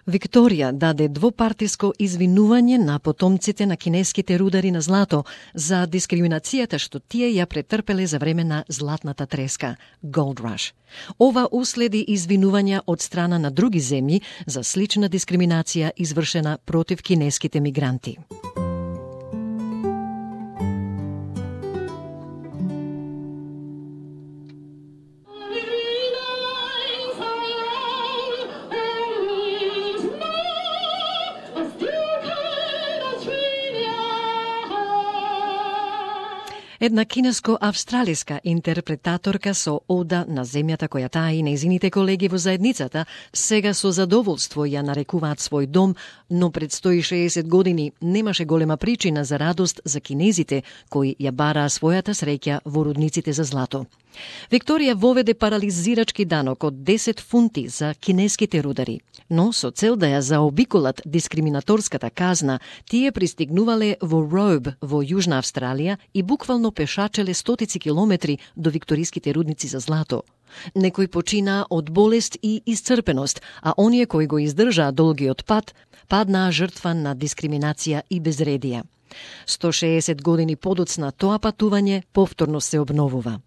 Викторија даде двопартиско извинување на потомците на кинеските рудари на злато за дискриминацијата што тие ја претрпеле за време на златната треска, Gold Rush. Ова уследи извинувања од страна на други земји за слична дискриминација извршена против кинеските мигранти. Една кинеско-австралиска интерпретаторка со ода на земјата која таа и нејзините колеги во заедницата сега со задоволство ја нарекуваат свој дом, но пред 160 години немаше голема причина за радост за кинезите кои ја бараа својата среќа во рудниците за злато. Викторија воведе парализирачки данок од 10 фунти за кинеските рудари, но со цел да ја заобиколат дискриминаторската казна, тие пристигнувале во Robe во Јужна Австралија и буквално пешачеле стотици километри до викториските рудници за злато. Некои починаа од болест и исцрпеност, а оние кои го издржаа долгиот пат паднаа жртва на дискриминација и безредија. 160 години подоцна тоа патување повторно се обновува.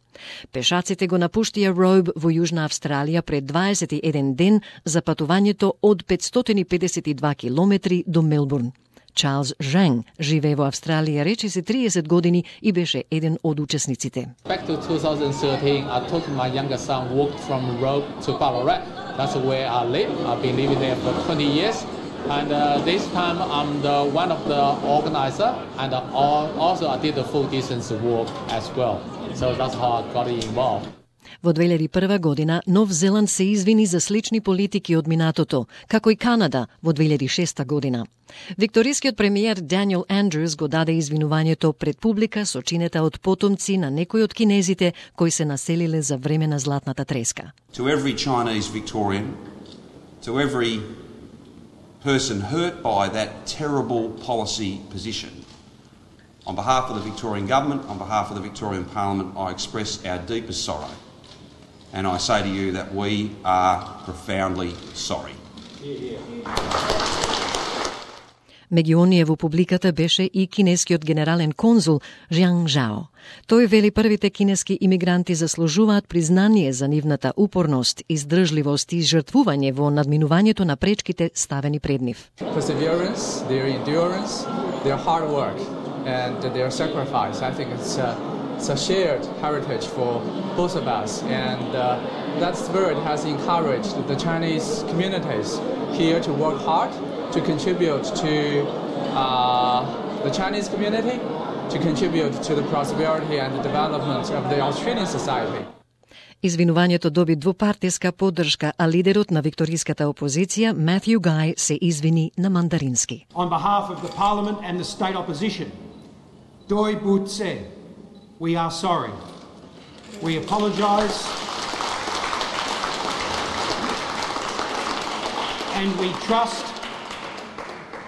Пешаците го напуштија Robe во Јужна Австралија пред 21 ден за патувањето од 552 километри до Мелбурн. Чарлз Жен живее во Австралија речиси 30 години и беше еден од учесниците. Back to 2013, I took my younger son walked from Robe to Ballarat. That's where I live. I've been living there for 20 years. And this time I'm one of the organizer, and also I did the full distance walk as well. So that's how I got involved. Во 2001 година Нов Зеланд се извини за слични политики од минатото, како и Канада во 2006 година. Викторискиот премиер Даниел Андрюс го даде извинувањето пред публика сочинета од потомци на некои од кинезите кои се населиле за време на златната треска. To every Chinese Victorian, to every person hurt by that terrible policy position. On behalf of the Victorian Government, on behalf of the Victorian Parliament, I express our deepest sorrow. And I say to you that we are profoundly sorry. Меѓу оние во публиката беше и кинескиот генерален конзул Жиан Жао. Тој вели првите кинески имигранти заслужуваат признание за нивната упорност, издржливост и жртвување во надминувањето на пречките ставени пред нив. Perseverance, their endurance, their hard work and their sacrifice. I think it's a shared heritage for both of us, and that spirit has encouraged the Chinese communities here to work hard, to contribute to the Chinese community, to contribute to the prosperity and the development of the Australian society. Извинувањето доби двупартиска поддршка, а лидерот на викториската опозиција, Матју Гај, се извини на мандарински. On behalf of the Parliament and the state opposition, Doi Bu Tse, we are sorry. We apologise and we trust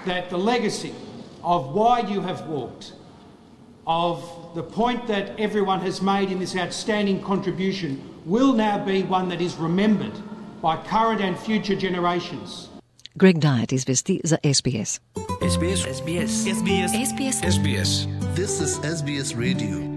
that the legacy of why you have walked, of the point that everyone has made in this outstanding contribution will now be one that is remembered by current and future generations. Greg Diet извести за SBS. SBS. SBS. SBS. SBS. This is SBS Radio.